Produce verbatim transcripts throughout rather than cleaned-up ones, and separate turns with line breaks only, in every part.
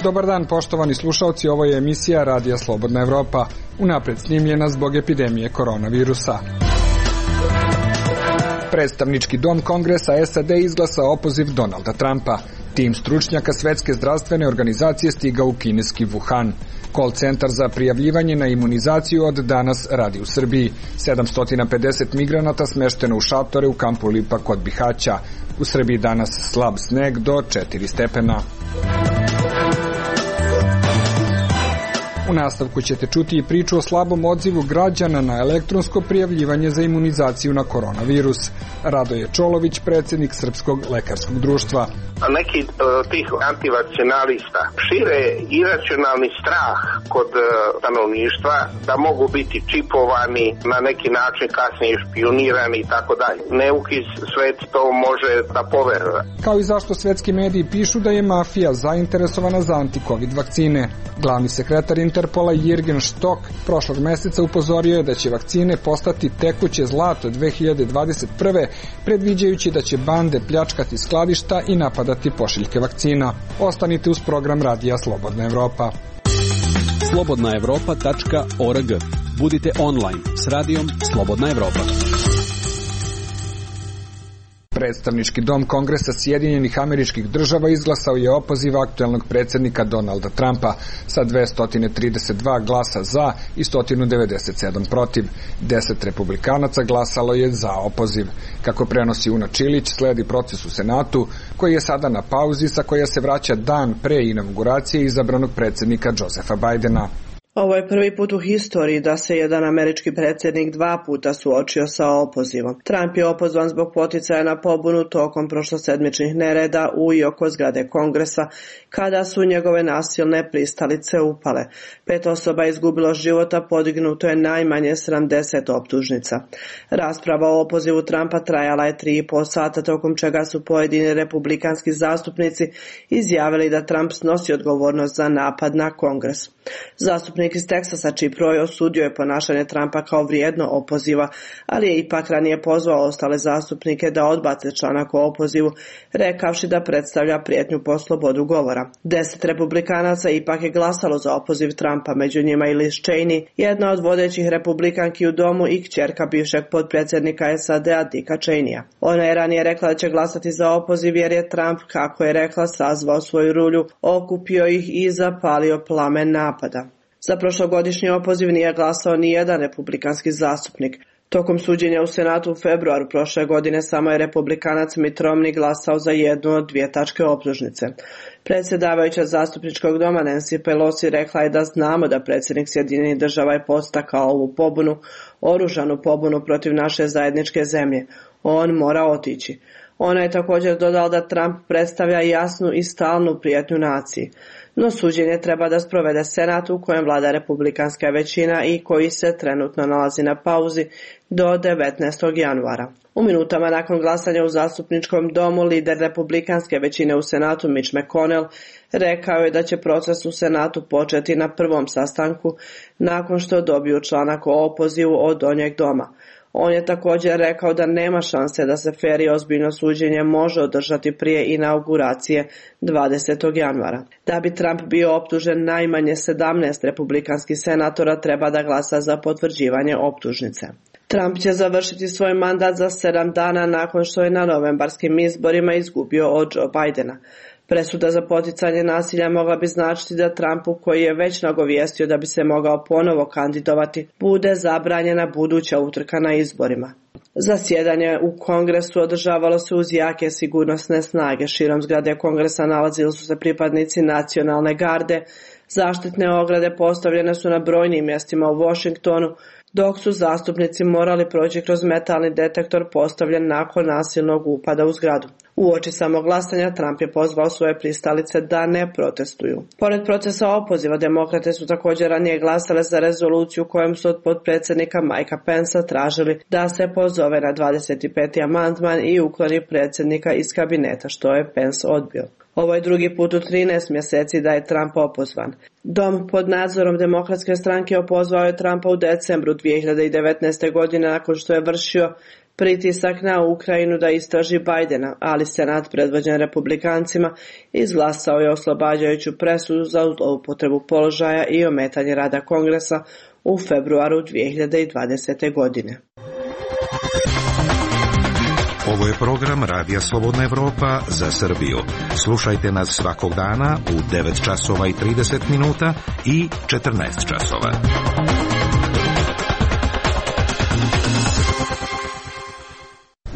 Dobar dan, poštovani slušalci, ovo je emisija Radija Slobodna Evropa, unapred snimljena zbog epidemije koronavirusa. Predstavnički dom Kongresa S A D izglasao opoziv Donalda Trumpa. Tim stručnjaka Svetske zdravstvene organizacije stigao u kineski Wuhan. Call centar za prijavljivanje na imunizaciju od danas radi u Srbiji. sedamsto pedeset migranata smešteno u šatore u kampu Lipa kod Bihaća. U Srbiji danas slab sneg do četiri stepena. U nastavku ćete čuti i priču o slabom odzivu građana na elektronsko prijavljivanje za imunizaciju na koronavirus. Radoje Čolović, predsjednik Srpskog lekarskog društva.
Neki tih antivakcinalista šire iracionalni strah kod stanovništva da mogu biti čipovani, na neki način kasnije špionirani i tako dalje. Neuki svet to može da poveruje.
Kao i zašto svetski mediji pišu da je mafija zainteresovana za anti-covid vakcine. Glavni sekretar Interpola Jürgen Stock prošlog meseca upozorio je da će vakcine postati tekuće zlato dve hiljade dvadeset prve, predviđajući da će bande pljačkati skladišta i napadati pošiljke vakcina. Ostanite uz program Radija Slobodna Evropa.
slobodna evropa tačka org. Budite online s radijom Slobodna Evropa.
Predstavnički dom Kongresa Sjedinjenih Američkih Država izglasao je opoziv aktuelnog predsjednika Donalda Trumpa sa dvesta trideset dva glasa za i sto devedeset sedam protiv. Deset republikanaca glasalo je za opoziv. Kako prenosi Una Čilić, sledi proces u Senatu, koji je sada na pauzi, sa koja se vraća dan pre inauguracije izabranog predsjednika Josepha Bidena.
Ovo je prvi put u historiji da se jedan američki predsjednik dva puta suočio sa opozivom. Trump je opozvan zbog poticaja na pobunu tokom prošlosedmičnih nereda u i oko zgrade Kongresa, kada su njegove nasilne pristalice upale. Pet osoba je izgubilo života, podignuto je najmanje sedamdeset optužnica. Rasprava o opozivu Trumpa trajala je tri i po sata, tokom čega su pojedini republikanski zastupnici izjavili da Trump snosi odgovornost za napad na Kongres. Zastupnik iz Teksasa Chip Roy osudio je ponašanje Trumpa kao vrijedno opoziva, ali je ipak ranije pozvao ostale zastupnike da odbace članak o opozivu, rekavši da predstavlja prijetnju po slobodu govora. Deset republikanaca ipak je glasalo za opoziv Trumpa, među njima i Liz Cheney, jedna od vodećih republikanki u domu i kćerka bivšeg potpredsjednika S A D-a Dicka Cheneya. Ona je ranije rekla da će glasati za opoziv jer je Trump, kako je rekla, sazvao svoju rulju, okupio ih i zapalio plamen napada. Za prošlogodišnji opoziv nije glasao ni jedan republikanski zastupnik. Tokom suđenja u Senatu u februaru prošle godine samo je republikanac Mitt Romney glasao za jednu od dvije tačke optužnice. Predsjedavajuća zastupničkog doma Nancy Pelosi rekla je da znamo da predsjednik Sjedinjenih Država je podstakao ovu pobunu, oružanu pobunu protiv naše zajedničke zemlje. On mora otići. Ona je također dodala da Trump predstavlja jasnu i stalnu prijetnju naciji. No suđenje treba da sprovede Senat u kojem vlada republikanska većina i koji se trenutno nalazi na pauzi do devetnaestog januara. U minutama nakon glasanja u zastupničkom domu lider republikanske većine u Senatu Mitch McConnell rekao je da će proces u Senatu početi na prvom sastanku nakon što dobiju članak o opozivu od donjeg doma. On je također rekao da nema šanse da se fer i ozbiljno suđenje može održati prije inauguracije dvadesetog januara. Da bi Trump bio optužen, najmanje sedamnaest republikanskih senatora treba da glasa za potvrđivanje optužnice. Trump će završiti svoj mandat za sedam dana nakon što je na novembarskim izborima izgubio od Joe Bidena. Presuda za poticanje nasilja mogla bi značiti da Trumpu, koji je već nagovijestio da bi se mogao ponovo kandidovati, bude zabranjena buduća utrka na izborima. Zasjedanje u Kongresu održavalo se uz jake sigurnosne snage. Širom zgrade Kongresa nalazili su se pripadnici nacionalne garde, zaštitne ograde postavljene su na brojnim mjestima u Washingtonu, dok su zastupnici morali proći kroz metalni detektor postavljen nakon nasilnog upada u zgradu. Uoči samog glasanja Trump je pozvao svoje pristalice da ne protestuju. Pored procesa opoziva, demokrate su također ranije glasale za rezoluciju kojom su od potpredsjednika Mikea Pensa tražili da se pozove na dvadeset peti amandman i ukloni predsjednika iz kabineta, što je Pence odbio. Ovo je drugi put u trinaest mjeseci da je Trump opozvan. Dom pod nadzorom Demokratske stranke opozvao je Trumpa u decembru dvije hiljade devetnaeste. godine nakon što je vršio pritisak na Ukrajinu da istraži Bajdena, ali Senat predvođen Republikancima izglasao je oslobađajuću presudu za zloupotrebu položaja i ometanje rada Kongresa u februaru dvije hiljade dvadesete. godine.
Ovo je program Radija Slobodna Evropa za Srbiju. Slušajte nas svakog dana u devet časova i trideset minuta i četrnaest časova.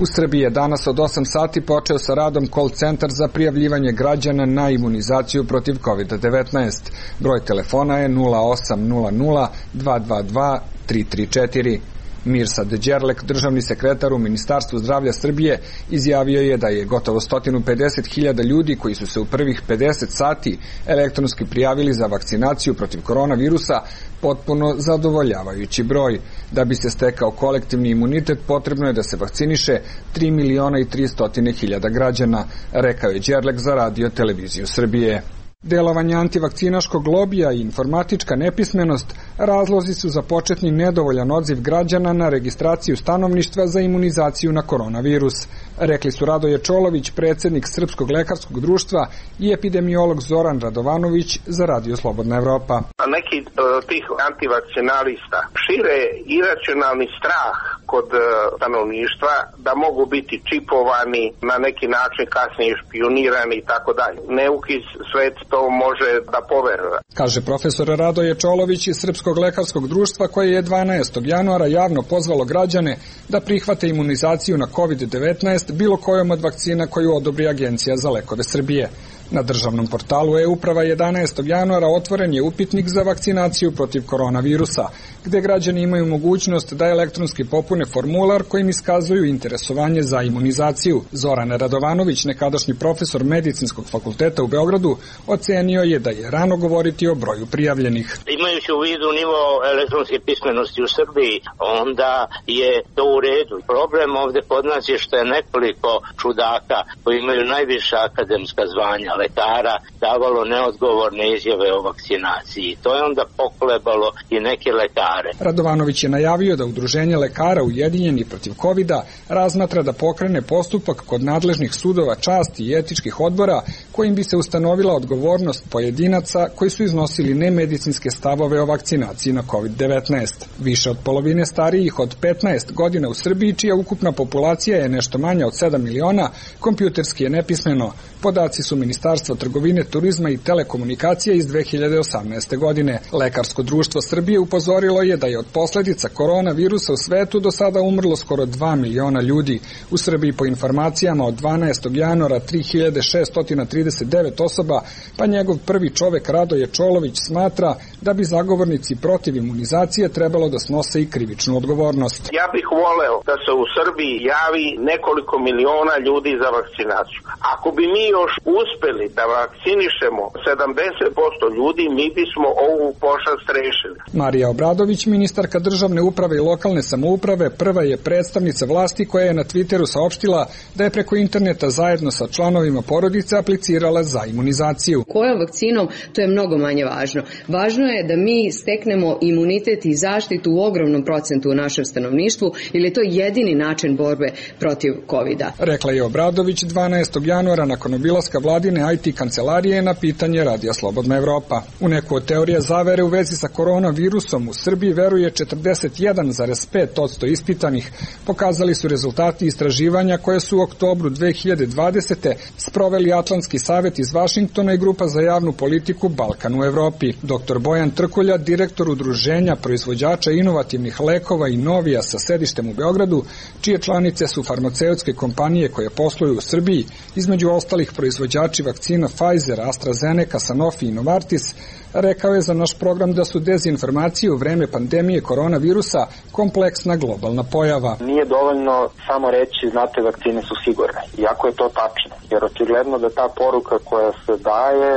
U Srbiji je danas od osam sati počeo sa radom call centar za prijavljivanje građana na imunizaciju protiv kovid devetnaest. Broj telefona je nula osam nula nula dva dva dva tri tri četiri. Mirsad Đerlek, državni sekretar u Ministarstvu zdravlja Srbije, izjavio je da je gotovo sto pedeset hiljada ljudi koji su se u prvih pedeset sati elektronski prijavili za vakcinaciju protiv koronavirusa potpuno zadovoljavajući broj. Da bi se stekao kolektivni imunitet, potrebno je da se vakciniše tri miliona i tristo hiljada građana, rekao je Đerlek za Radio televiziju Srbije. Delovanje antivakcinaškog lobija i informatička nepismenost razlozi su za početni nedovoljan odziv građana na registraciju stanovništva za imunizaciju na koronavirus. Rekli su Radoje Čolović, predsjednik Srpskog lekarskog društva, i epidemiolog Zoran Radovanović za Radio Slobodna Evropa.
Neki uh, tih antivakcinalista šire iracionalni strah kod uh, stanovništva da mogu biti čipovani, na neki način kasnije špijunirani i tako dalje. Neuki svet to može da poveruje.
Kaže profesor Radoje Čolović iz Srpskog lekarskog društva, koje je dvanaestog januara javno pozvalo građane da prihvate imunizaciju na kovid devetnaest bilo kojom od vakcina koju odobri Agencija za lekove Srbije. Na državnom portalu e-uprava jedanaestog januara otvoren je upitnik za vakcinaciju protiv koronavirusa, gde građani imaju mogućnost da elektronski popune formular kojim iskazuju interesovanje za imunizaciju. Zoran Radovanović, nekadašnji profesor Medicinskog fakulteta u Beogradu, ocenio je da je rano govoriti o broju prijavljenih.
Imajući u vidu nivo elektronske pismenosti u Srbiji, onda je to u redu. Problem ovde kod nas je što je nekoliko čudaka koji imaju najviša akademska zvanja lekara davalo neodgovorne izjave o vakcinaciji. To je onda pokolebalo i neke lekare.
Radovanović je najavio da Udruženje lekara Ujedinjeni protiv kovida razmatra da pokrene postupak kod nadležnih sudova časti i etičkih odbora kojim bi se ustanovila odgovornost pojedinaca koji su iznosili nemedicinske stavove o vakcinaciji na kovid devetnaest. Više od polovine starijih od petnaest godina u Srbiji, čija ukupna populacija je nešto manja od sedam miliona, kompjuterski je nepismeno. Podaci su Ministarstva trgovine, turizma i telekomunikacija iz dve hiljade osamnaeste. godine. Lekarsko društvo Srbije upozorilo je da je od posledica koronavirusa u svetu do sada umrlo skoro dva miliona ljudi. U Srbiji po informacijama od dvanaestog januara tri hiljade šeststo trideset devet osoba, pa njegov prvi čovek Radoje Čolović smatra da bi zagovornici protiv imunizacije trebalo da snose i krivičnu odgovornost.
Ja bih voleo da se u Srbiji javi nekoliko miliona ljudi za vakcinaciju. Ako bi mi još uspeli da vakcinišemo sedamdeset posto ljudi, mi bismo ovu pošast rešili.
Marija Obradović, ministarka državne uprave i lokalne samouprave, prva je predstavnica vlasti koja je na Twitteru saopštila da je preko interneta zajedno sa članovima porodice aplicirala za imunizaciju.
Kojom vakcinom, to je mnogo manje važno. Važno je da mi steknemo imunitet i zaštitu u ogromnom procentu u našem stanovništvu, ili je to jedini način borbe protiv kovida.
Rekla je Obradović dvanaestog januara nakon obilaska vladine I T kancelarije na pitanje Radija Slobodna Evropa. U neku od teorija zavere u vezi sa koronavirusom u Srbiji veruje četrdeset jedan zarez pet posto ispitanih. Pokazali su rezultati istraživanja koje su u oktobru dve hiljade dvadesete. sproveli Atlantski savet iz Vašingtona i Grupa za javnu politiku Balkan u Evropi. Doktor Bojan Trkulja, direktor Udruženja proizvođača inovativnih lekova i Novija sa sedištem u Beogradu, čije članice su farmaceutske kompanije koje posluju u Srbiji, između ostalih proizvođači vakcina Pfizer, AstraZeneca, Sanofi i Novartis, rekao je za naš program da su dezinformacije u vreme pandemije koronavirusa kompleksna globalna pojava.
Nije dovoljno samo reći, znate, vakcine su sigurne, iako je to tačno, jer očigledno da ta poruka koja se daje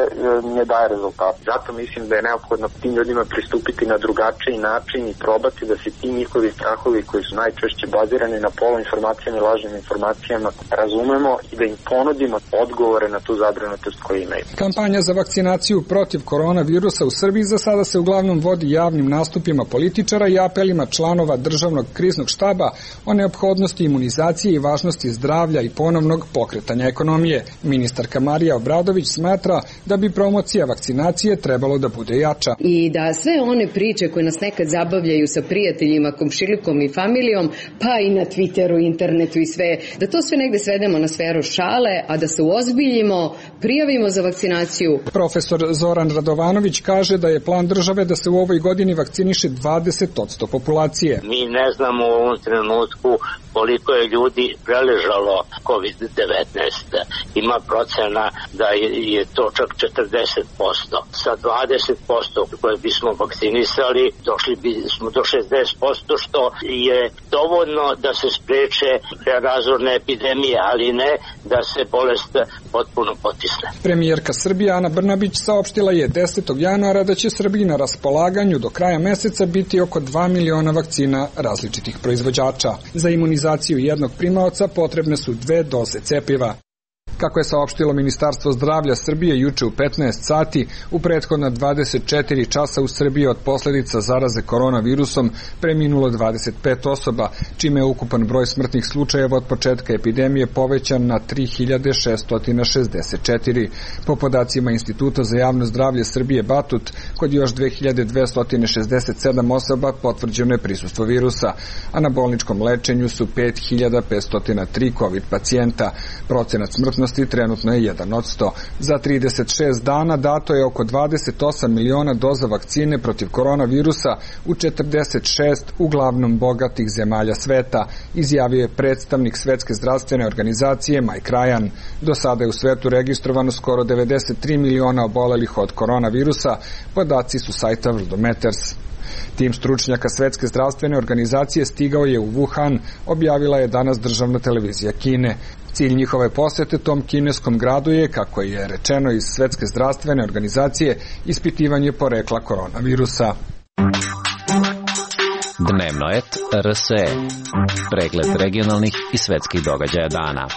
ne daje rezultat. Zato mislim da je neophodno tim ljudima pristupiti na drugačiji način i probati da se ti njihovi strahovi koji su najčešće bazirani na poluinformacijama i lažnim informacijama razumemo i da im ponudimo odgovore na tu zabrinutost koju imaju.
Kampanja za vakcinaciju protiv koronavirusa u Srbiji za sada se uglavnom vodi javnim nastupima političara i apelima članova državnog kriznog štaba o neophodnosti imunizacije i važnosti zdravlja i ponovnog pokretanja ekonomije. Ministarka Marija Obradović smatra da bi promocija vakcinacije trebalo da bude jača.
I da sve one priče koje nas nekad zabavljaju sa prijateljima, komšilikom i familijom, pa i na Twitteru, internetu i sve, da to sve negde svedemo na sferu šale, a da se uozbiljimo, prijavimo za vakcinaciju.
Profesor Zoran Radovanović kaže da je plan države da se u ovoj godini vakciniše dvadeset posto populacije.
Mi ne znamo u ovom trenutku koliko je ljudi preležalo kovid devetnaest. Ima procena da je to čak četrdeset posto. Sa dvadeset posto koje bismo vakcinisali došli bismo do šezdeset posto, što je dovoljno da se spreče razorne epidemije, ali ne da se bolest potpuno potisne.
Premijerka Srbije Ana Brnabić saopštila je desetog januara da će Srbiji na raspolaganju do kraja meseca biti oko dva miliona vakcina različitih proizvođača. Za imunizaciju jednog primaoca potrebne su dve doze cepiva. Kako je saopštilo Ministarstvo zdravlja Srbije juče u petnaest sati, u prethodna dvadeset četiri časa u Srbiji od posledica zaraze koronavirusom preminulo dvadeset pet osoba, čime je ukupan broj smrtnih slučajeva od početka epidemije povećan na tri hiljade šesto šezdeset četiri. Po podacima Instituta za javno zdravlje Srbije Batut, kod još dve hiljade dvesta šezdeset sedam osoba potvrđeno je prisustvo virusa, a na bolničkom lečenju su pet hiljada petsto tri COVID pacijenta. Procenat smrtnosti trenutno je jedan od sto. Za trideset šest dana dato je oko dvadeset osam miliona doza vakcine protiv koronavirusa u četrdeset šest uglavnom bogatih zemalja sveta, izjavio je predstavnik Svetske zdravstvene organizacije Mike Ryan. Do sada je u svetu registrovano skoro devedeset tri miliona obolelih od koronavirusa, podaci su sajta Worldometers. Tim stručnjaka Svetske zdravstvene organizacije stigao je u Wuhan, objavila je danas državna televizija Kine. Cilj njihove posete tom kineskom gradu je, kako je rečeno iz Svetske zdravstvene organizacije, ispitivanje porekla koronavirusa.
Dnevno et R S E. Pregled regionalnih i svetskih događaja dana.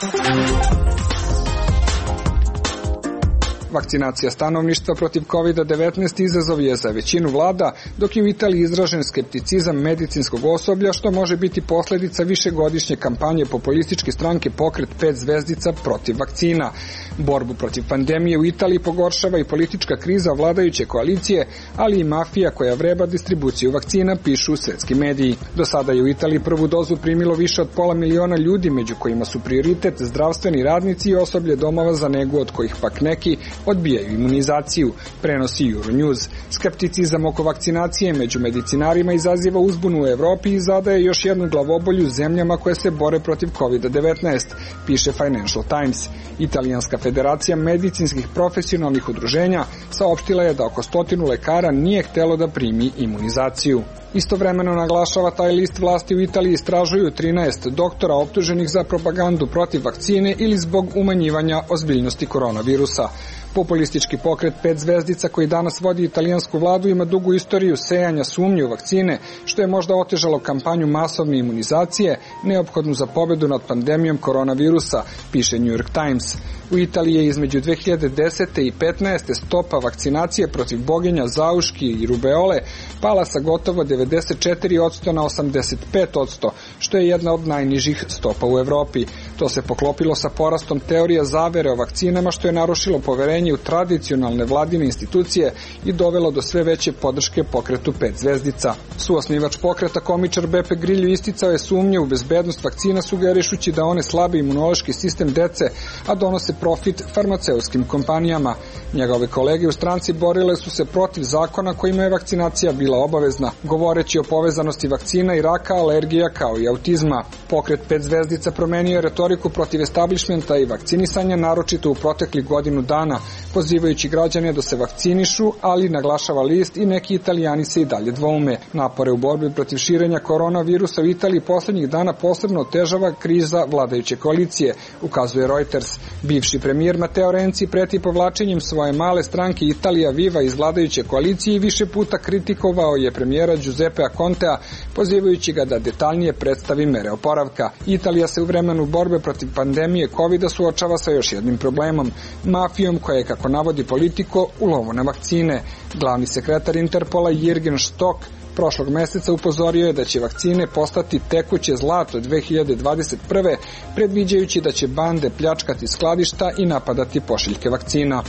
Vakcinacija stanovništva protiv kovid devetnaest izazov je za većinu vlada, dok je u Italiji izražen skepticizam medicinskog osoblja, što može biti posledica višegodišnje kampanje populističke stranke Pokret pet zvezdica protiv vakcina. Borbu protiv pandemije u Italiji pogoršava i politička kriza vladajuće koalicije, ali i mafija koja vreba distribuciju vakcina, pišu svetski mediji. Do sada je u Italiji prvu dozu primilo više od pola miliona ljudi, među kojima su prioritet zdravstveni radnici i osoblje domova za negu, od kojih pak neki odbijaju imunizaciju, prenosi Euronews. Skepticizam oko vakcinacije među medicinarima izaziva uzbunu u Evropi i zadaje još jednu glavobolju zemljama koje se bore protiv kovid devetnaest, piše Financial Times. Italijanska federacija medicinskih profesionalnih udruženja saopštila je da oko stotinu lekara nije htelo da primi imunizaciju. Istovremeno, naglašava taj list, vlasti u Italiji istražuju trinaest doktora optuženih za propagandu protiv vakcine ili zbog umanjivanja ozbiljnosti koronavirusa. Populistički pokret pet zvezdica, koji danas vodi italijansku vladu, ima dugu istoriju sejanja sumnje u vakcine, što je možda otežalo kampanju masovne imunizacije neophodnu za pobedu nad pandemijom koronavirusa, piše New York Times. U Italiji je između dve hiljade desete i petnaeste stopa vakcinacije protiv boginja, zauški i rubeole pala sa gotovo devedeset četiri posto na osamdeset pet posto, što je jedna od najnižih stopa u Evropi. To se poklopilo sa porastom teorija zavere o vakcinama, što je narušilo poverenje u tradicionalne vladine institucije i dovelo do sve veće podrške pokretu pet zvezdica. Suosnivač pokreta, komičar Beppe Grillo, isticao je sumnje u bezbednost vakcina, sugerišući da one slabe imunološki sistem dece, a donose profit farmaceutskim kompanijama. Njegove kolege u stranci borile su se protiv zakona kojima je vakcinacija bila obavezna, govoreći o povezanosti vakcina i raka, alergija kao i autizma. Pokret pet zvezdica promenio je retoriku retoriku protiv establishmenta i vakcinisanja, naročito u proteklih godinu dana, pozivajući građane da se vakcinišu, ali naglašava list i neki Italijani se i dalje dvoume. Napore u borbi protiv širenja koronavirusa u Italiji poslednjih dana posebno otežava kriza vladajuće koalicije, ukazuje Reuters. Bivši premijer Matteo Renzi preti povlačenjem svoje male stranke Italija Viva iz vladajuće koalicije i više puta kritikovao je premijera Giuseppea Contea, pozivajući ga da detaljnije predstavi mere oporavka. Italija se u vremenu borbe protiv pandemije kovida suočava sa još jednim problemom, mafijom koja je, kako navodi Politico, u lovu na vakcine. Glavni sekretar Interpola Jürgen Stock prošlog meseca upozorio je da će vakcine postati tekuće zlato dve hiljade dvadeset prve, predviđajući da će bande pljačkati skladišta i napadati pošiljke vakcina.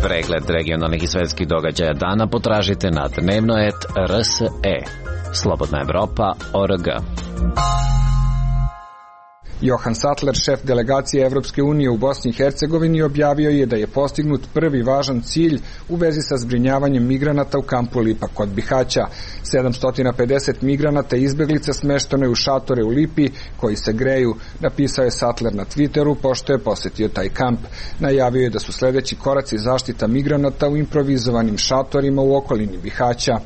Pregled regionalnih i svetskih događaja dana potražite na dnevno et er es e. Slobodna Evropa точка org.
Johan Sattler, šef delegacije Evropske unije u Bosni i Hercegovini, objavio je da je postignut prvi važan cilj u vezi sa zbrinjavanjem migranata u kampu Lipa kod Bihaća. sedamsto pedeset migranata i izbeglica smešteno je u šatore u Lipi koji se greju, napisao je Sattler na Twitteru pošto je posetio taj kamp. Najavio je da su sledeći koraci zaštita migranata u improvizovanim šatorima u okolini Bihaća.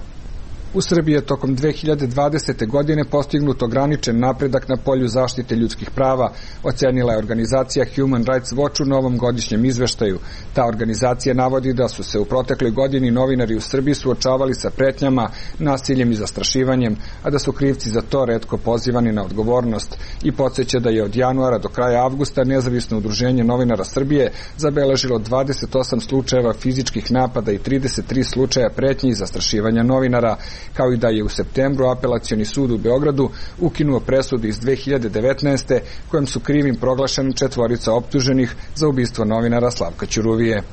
U Srbiji je tokom dve hiljade dvadesete. godine postignut ograničen napredak na polju zaštite ljudskih prava, ocenila je organizacija Human Rights Watch u novom godišnjem izveštaju. Ta organizacija navodi da su se u protekloj godini novinari u Srbiji suočavali sa pretnjama, nasiljem i zastrašivanjem, a da su krivci za to retko pozivani na odgovornost, i podsjeća da je od januara do kraja avgusta Nezavisno udruženje novinara Srbije zabeležilo dvadeset osam slučajeva fizičkih napada i trideset tri slučaja pretnji i zastrašivanja novinara, kao i da je u septembru Apelacioni sud u Beogradu ukinuo presudu iz dve hiljade devetnaeste. kojom su krivim proglašeni četvorica optuženih za ubistvo novinara Slavka Ćuruvije.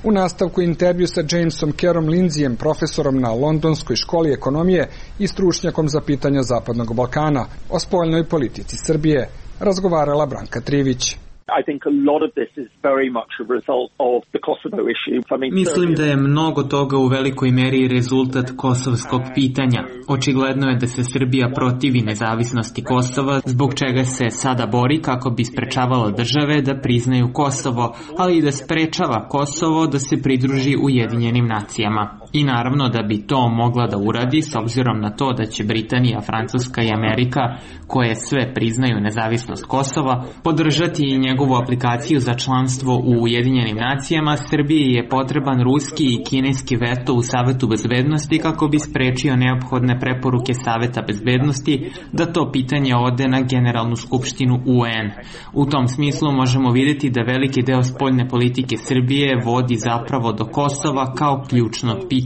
U nastavku intervju sa Jamesom Kerom Lindsayem, profesorom na Londonskoj školi ekonomije i stručnjakom za pitanja Zapadnog Balkana, o spoljnoj politici Srbije, razgovarala Branka Trivić.
I think a lot of this is very much a result of the Kosovo issue. I mean,
Mislim da je mnogo toga u velikoj meri rezultat kosovskog pitanja. Očigledno je da se Srbija protivi nezavisnosti Kosova, zbog čega se sada bori kako bi sprečavala države da priznaju Kosovo, ali i da sprečava Kosovo da se pridruži Ujedinjenim nacijama. I naravno da bi to mogla da uradi s obzirom na to da će Britanija, Francuska i Amerika, koje sve priznaju nezavisnost Kosova, podržati i njegovu aplikaciju za članstvo u Ujedinjenim nacijama. Srbiji je potreban ruski i kineski veto u Savetu bezbednosti kako bi sprečio neophodne preporuke Saveta bezbednosti da to pitanje ode na Generalnu skupštinu U N. U tom smislu možemo vidjeti da veliki deo spoljne politike Srbije vodi zapravo do Kosova kao ključnog pitanja.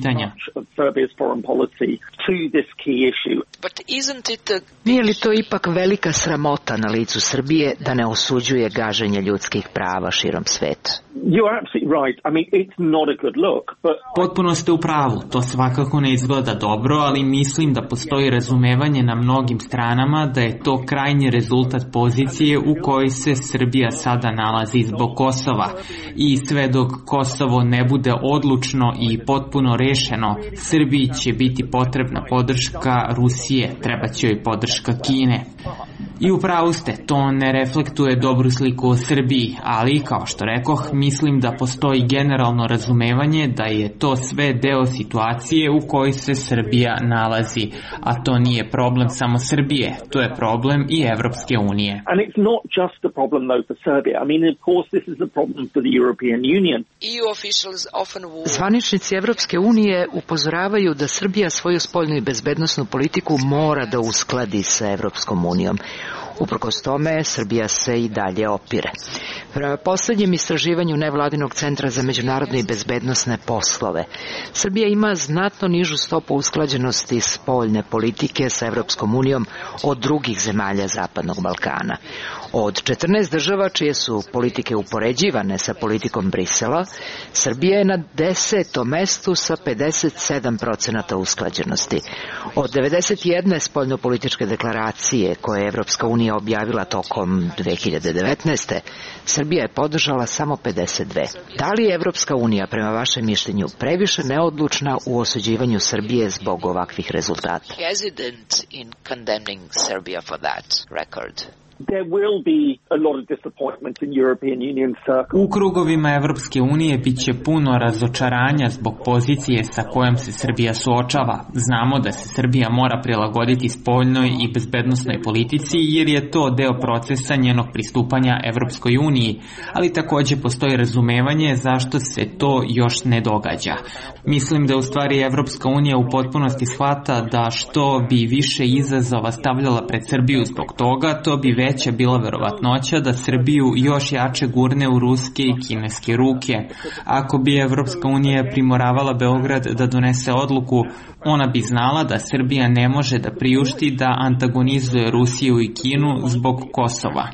Nije li to ipak velika sramota na licu Srbije da ne osuđuje gaženje ljudskih prava širom sveta?
Potpuno ste u pravu, to svakako ne izgleda dobro, ali mislim da postoji razumevanje na mnogim stranama da je to krajnji rezultat pozicije u kojoj se Srbija sada nalazi zbog Kosova. I sve dok Kosovo ne bude odlučno i potpuno rešeno, Srbiji će biti potrebna podrška Rusije, treba će joj podrška Kine. I upravo ste, to ne reflektuje dobru sliku o Srbiji, ali, kao što rekoh, mislim da postoji generalno razumevanje da je to sve deo situacije u kojoj se Srbija nalazi, a to nije problem samo Srbije, to je problem i Evropske unije.
Zvaničnici Evropske unije upozoravaju da Srbija svoju spoljnu i bezbednosnu politiku mora da uskladi sa Evropskom unijom. Uprkos tome, Srbija se i dalje opire. Prema poslednjem istraživanju Nevladinog centra za međunarodne i bezbednosne poslove, Srbija ima znatno nižu stopu usklađenosti spoljne politike sa Evropskom unijom od drugih zemalja Zapadnog Balkana. Od četrnaest država čije su politike upoređivane sa politikom Brisela, Srbija je na desetom mestu sa pedeset sedam procenata usklađenosti. Od devedeset jedne spoljnopolitičke deklaracije koje je Evropska unija objavila tokom dve hiljade devetnaeste. Srbija je podržala samo pedeset dve. Da li je Evropska unija, prema vašem mišljenju, previše neodlučna u osuđivanju Srbije zbog ovakvih rezultata?
There will be a lot of disappointment in European Union circles.
U krugovima Evropske unije biće puno razočaranja zbog pozicije sa kojom se Srbija suočava. Znamo da se Srbija mora prilagoditi spoljnoj i bezbednosnoj politici jer je to deo procesa njenog pristupanja Evropskoj uniji, ali takođe postoji razumevanje zašto se to još ne događa. Mislim da u stvari Evropska unija u potpunosti shvata da što bi više izazova stavljala pred Srbiju zbog toga, to bi veća bila verovatnoća da Srbiju još jače gurne u ruske i kineske ruke. Ako bi Evropska unija primoravala Beograd da donese odluku, ona bi znala da Srbija ne može da priušti da antagonizuje Rusiju i Kinu zbog Kosova.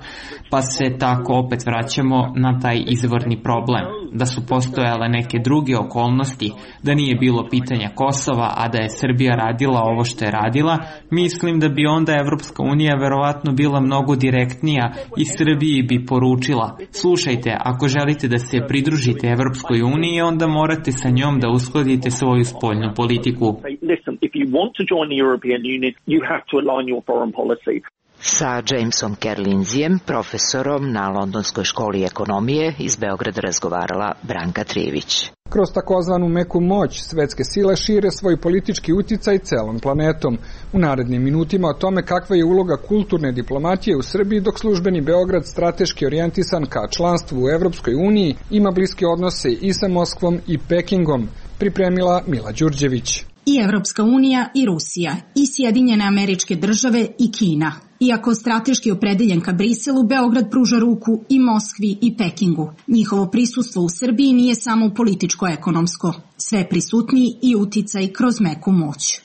Pa se tako opet vraćamo na taj izvorni problem. Da su postojale neke druge okolnosti, da nije bilo pitanja Kosova, a da je Srbija radila ovo što je radila, mislim da bi onda Evropska unija verovatno bila mnogo direktnija i Srbiji bi poručila: slušajte, ako želite da se pridružite Evropskoj uniji, onda morate sa njom da uskladite svoju spoljnu politiku.
Listen, if you want to join the European Union, you have to align your foreign policy.
Sa Jamesom Kerlinzijem, profesorom na Londonskoj školi ekonomije, iz Beograda razgovarala Branka Trijević.
Kroz takozvanu meku moć, svetske sile šire svoj politički uticaj celom planetom. U narednim minutima o tome kakva je uloga kulturne diplomatije u Srbiji, dok službeni Beograd, strateški orijentisan ka članstvu u Evropskoj uniji, ima bliske odnose i sa Moskvom i Pekingom, pripremila Mila Đurđević.
I Evropska unija i Rusija, i Sjedinjene Američke Države i Kina. Iako strateški opredeljen ka Briselu, Beograd pruža ruku i Moskvi i Pekingu. Njihovo prisustvo u Srbiji nije samo političko-ekonomsko, sve prisutniji i uticaj kroz meku moć.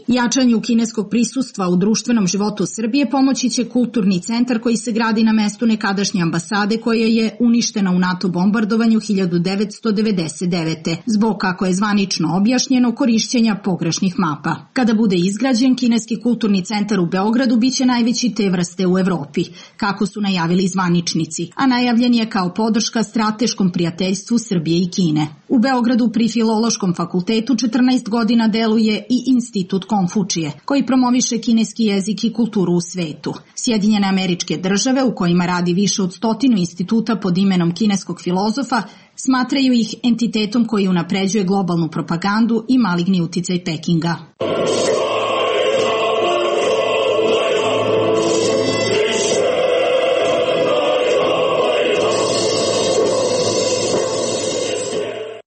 Jačanju kineskog prisustva u društvenom životu Srbije pomoći će kulturni centar koji se gradi na mestu nekadašnje ambasade koja je uništena u NATO bombardovanju hiljadu devetsto devedeset devete zbog, kako je zvanično objašnjeno, korišćenja pogrešnih mapa. Kada bude izgrađen, kineski kulturni centar u Beogradu biće najveći te vrste u Evropi, kako su najavili zvaničnici, a najavljen je kao podrška strateškom prijateljstvu Srbije i Kine. U Beogradu pri Filološkom fakultetu četrnaest godina deluje i Institut Konfučije, koji promoviše kineski jezik i kulturu u svetu. Sjedinjene Američke Države, u kojima radi više od stotinu instituta pod imenom kineskog filozofa, smatraju ih entitetom koji unapređuje globalnu propagandu i maligni uticaj Pekinga.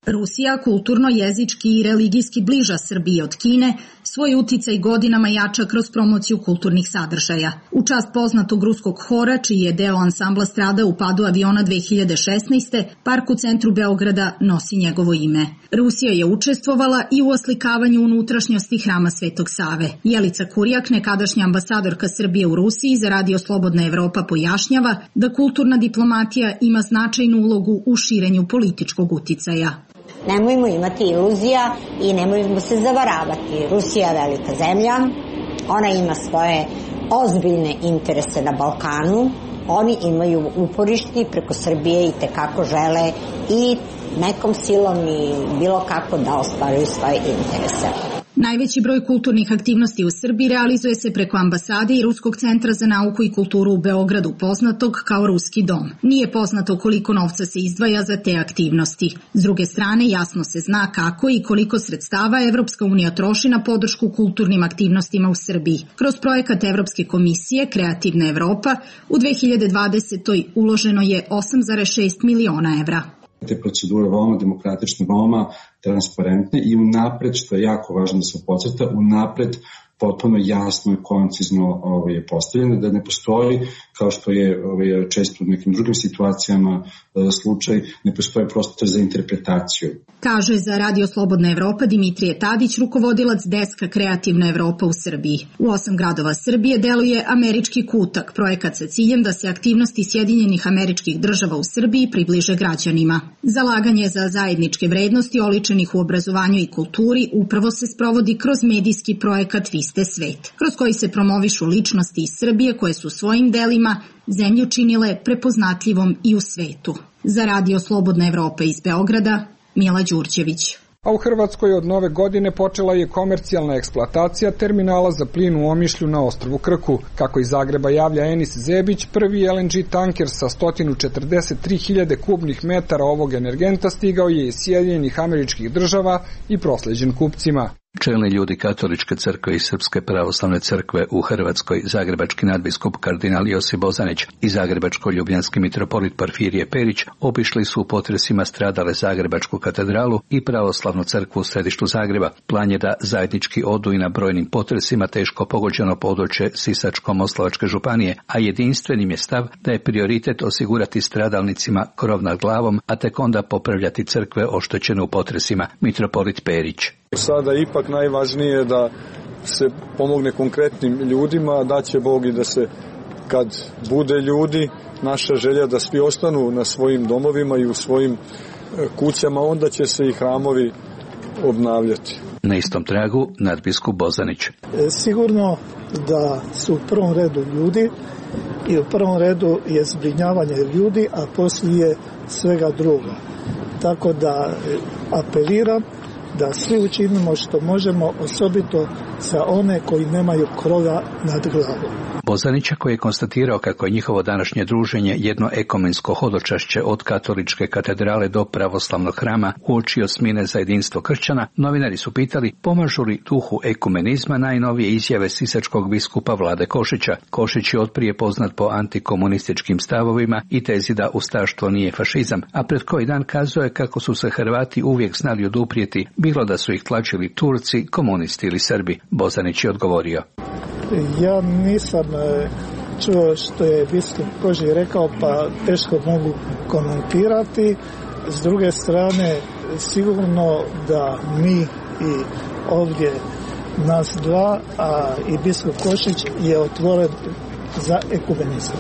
Rusija kulturno, jezički i religijski bliža Srbiji od Kine, svoj uticaj godinama jača kroz promociju kulturnih sadržaja. U čast poznatog ruskog hora, čiji je deo ansambla stradao u padu aviona dve hiljade šesnaeste. park u centru Beograda nosi njegovo ime. Rusija je učestvovala i u oslikavanju unutrašnjosti hrama Svetog Save. Jelica Kurjak, nekadašnja ambasadorka Srbije u Rusiji za Radio Slobodna Evropa, pojašnjava da kulturna diplomatija ima značajnu ulogu u širenju političkog uticaja.
Nemojmo imati iluzija i nemojmo se zavaravati. Rusija je velika zemlja, ona ima svoje ozbiljne interese na Balkanu, oni imaju uporišti preko Srbije i tekako žele i nekom silom i bilo kako da ostvaruju svoje interese.
Najveći broj kulturnih aktivnosti u Srbiji realizuje se preko ambasade i Ruskog centra za nauku i kulturu u Beogradu, poznatog kao Ruski dom. Nije poznato koliko novca se izdvaja za te aktivnosti. S druge strane, jasno se zna kako i koliko sredstava Evropska unija troši na podršku kulturnim aktivnostima u Srbiji. Kroz projekat Evropske komisije Kreativna Evropa u dve hiljade dvadesetoj. uloženo je osam zarez šest miliona evra.
Te procedure veoma demokratične, veoma transparentne i unapred, što je jako važno da se podcrta, unapred potpuno jasno i koncizno ovaj, je postavljeno, da ne postoji, kao što je ovaj, često u nekim drugim situacijama slučaj, ne postoji prostor za interpretaciju.
Kaže za Radio Slobodna Evropa Dimitrije Tadić, rukovodilac deska Kreativna Evropa u Srbiji. U osam gradova Srbije deluje Američki kutak, projekat sa ciljem da se aktivnosti Sjedinjenih Američkih Država u Srbiji približe građanima. Zalaganje za zajedničke vrednosti oličenih u obrazovanju i kulturi upravo se sprovodi kroz medijski projekat Vi ste svet, kroz koji se promovišu ličnosti iz Srbije koje su svojim delima zemlju činile prepoznatljivom i u svetu. Za Radio Slobodna Evropa iz Beograda, Mila Đurđević.
A u Hrvatskoj od nove godine počela je komercijalna eksploatacija terminala za plin u Omišlju na ostrvu Krku. Kako iz Zagreba javlja Enis Zebić, prvi el en ge tanker sa sto četrdeset tri hiljade kubnih metara ovog energenta stigao je iz Sjedinjenih Američkih Država i prosleđen kupcima.
Čelni ljudi Katoličke crkve i Srpske pravoslavne crkve u Hrvatskoj, zagrebački nadbiskup kardinal Josip Bozanić i zagrebačko-ljubljanski mitropolit Porfirije Perić obišli su u potresima stradale Zagrebačku katedralu i pravoslavnu crkvu u središtu Zagreba. Plan je da zajednički odu i na brojnim potresima teško pogođeno područje Sisačko-moslavačke županije, a jedinstvenim je stav da je prioritet osigurati stradalnicima krov nad glavom, a tek onda popravljati crkve oštećene u potresima. Mitropolit Perić.
Sada ipak najvažnije da se pomogne konkretnim ljudima, da će Bog i da se kad bude ljudi, naša želja da svi ostanu na svojim domovima i u svojim kućama, onda će se i hramovi obnavljati.
Na istom tragu nadbiskup Bozanić.
Sigurno da su u prvom redu ljudi i u prvom redu je zbrinjavanje ljudi, a poslije svega druga. Tako da apeliram da svi učinimo što možemo, osobito za one koji nemaju krova nad glavom.
Bozanića, koji je konstatirao kako je njihovo današnje druženje jedno ekumensko hodočašće od katoličke katedrale do pravoslavnog hrama uočio smine za jedinstvo kršćana, novinari su pitali pomažu li duhu ekumenizma najnovije izjave sisačkog biskupa Vlade Košića. Košić je otprije poznat po antikomunističkim stavovima i tezi da ustaštvo nije fašizam, a pred koji dan kazao je kako su se Hrvati uvijek znali oduprijeti, bilo da su ih tlačili Turci, komunisti ili Srbi. Bozanić je odgovorio.
Ja nisam čuo što je biskup Kožić rekao, pa teško mogu komentirati. S druge strane, sigurno da mi i ovdje nas dva, a i biskup Košić je otvoren za ekumenizam.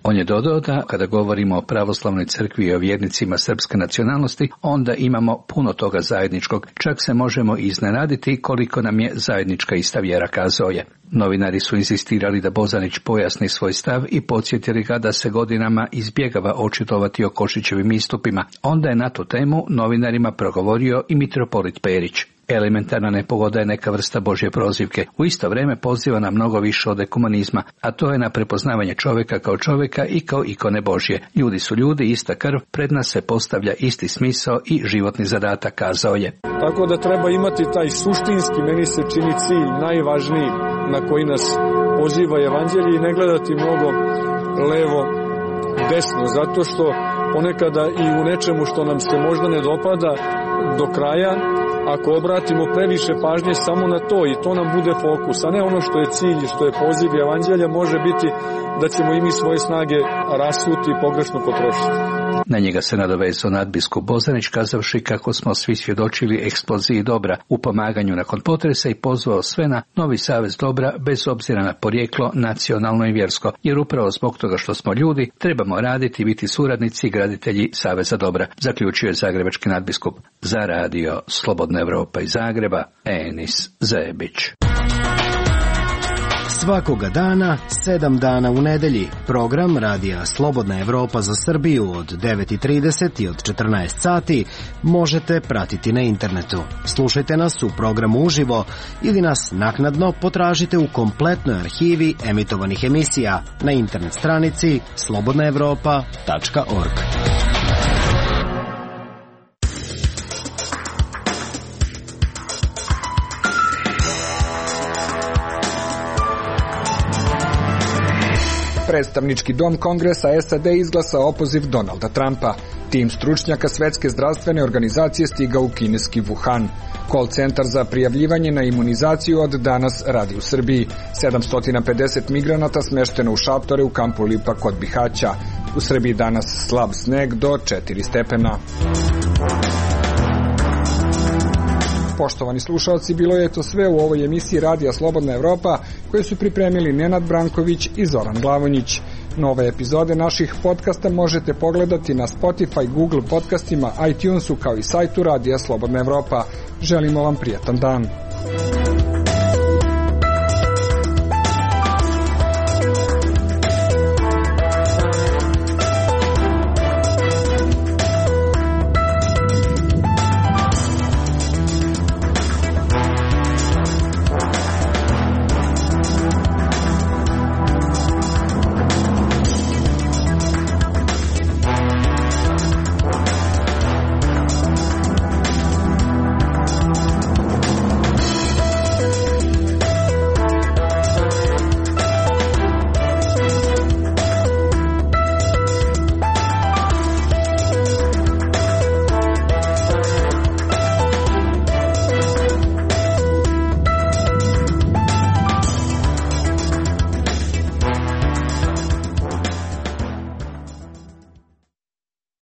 On je dodao da kada govorimo o pravoslavnoj crkvi i o vjernicima srpske nacionalnosti, onda imamo puno toga zajedničkog, čak se možemo iznenaditi koliko nam je zajednička ista vjera, kazao je. Novinari su insistirali da Bozanić pojasni svoj stav i podsjetili ga da se godinama izbjegava očitovati o Košićevim istupima. Onda je na tu temu novinarima progovorio i mitropolit Perić. Elementarna nepogoda je neka vrsta Božje prozivke. U isto vrijeme poziva na mnogo više od ekumenizma, a to je na prepoznavanje čovjeka kao čovjeka i kao ikone Božje. Ljudi su ljudi, ista krv, pred nas se postavlja isti smisao i životni zadatak, kazao je.
Tako da treba imati taj suštinski, meni se čini cilj najvažniji na koji nas poziva evanđelje i ne gledati mnogo levo, desno, zato što ponekada i u nečemu što nam se možda ne dopada do kraja, ako obratimo previše pažnje samo na to i to nam bude fokus, a ne ono što je cilj i što je poziv evanđelja, može biti da ćemo i mi svoje snage rasuti i pogrešno potrošiti.
Na njega se nadovezao nadbiskup Bozanić, kazavši kako smo svi svjedočili eksploziji dobra u pomaganju nakon potresa i pozvao sve na novi savez dobra bez obzira na porijeklo, nacionalno i vjersko, jer upravo zbog toga što smo ljudi trebamo raditi i biti suradnici i graditelji saveza dobra, zaključio je zagrebački nadbiskup. Za radio Slobodna Evropa iz Zagreba, Enis Zebić.
Svakoga dana, sedam dana u nedelji, program radija Slobodna Evropa za Srbiju od devet i trideset i od četrnaest sati možete pratiti na internetu. Slušajte nas u programu uživo ili nas naknadno potražite u kompletnoj arhivi emitovanih emisija na internet stranici slobodna evropa tačka org.
Predstavnički dom Kongresa es a de izglasao opoziv Donalda Trumpa. Tim stručnjaka Svetske zdravstvene organizacije stigao u kineski Wuhan. Call centar za prijavljivanje na imunizaciju od danas radi u Srbiji. sedamsto pedeset migranata smešteno u šatore u kampu Lipa kod Bihaća. U Srbiji danas slab sneg do četiri stepena. Poštovani slušalci, bilo je to sve u ovoj emisiji Radija Slobodna Evropa koje su pripremili Nenad Branković i Zoran Glavonjić. Nove epizode naših podcasta možete pogledati na Spotify, Google podcastima, iTunesu kao i sajtu Radija Slobodna Evropa. Želimo vam prijatan dan.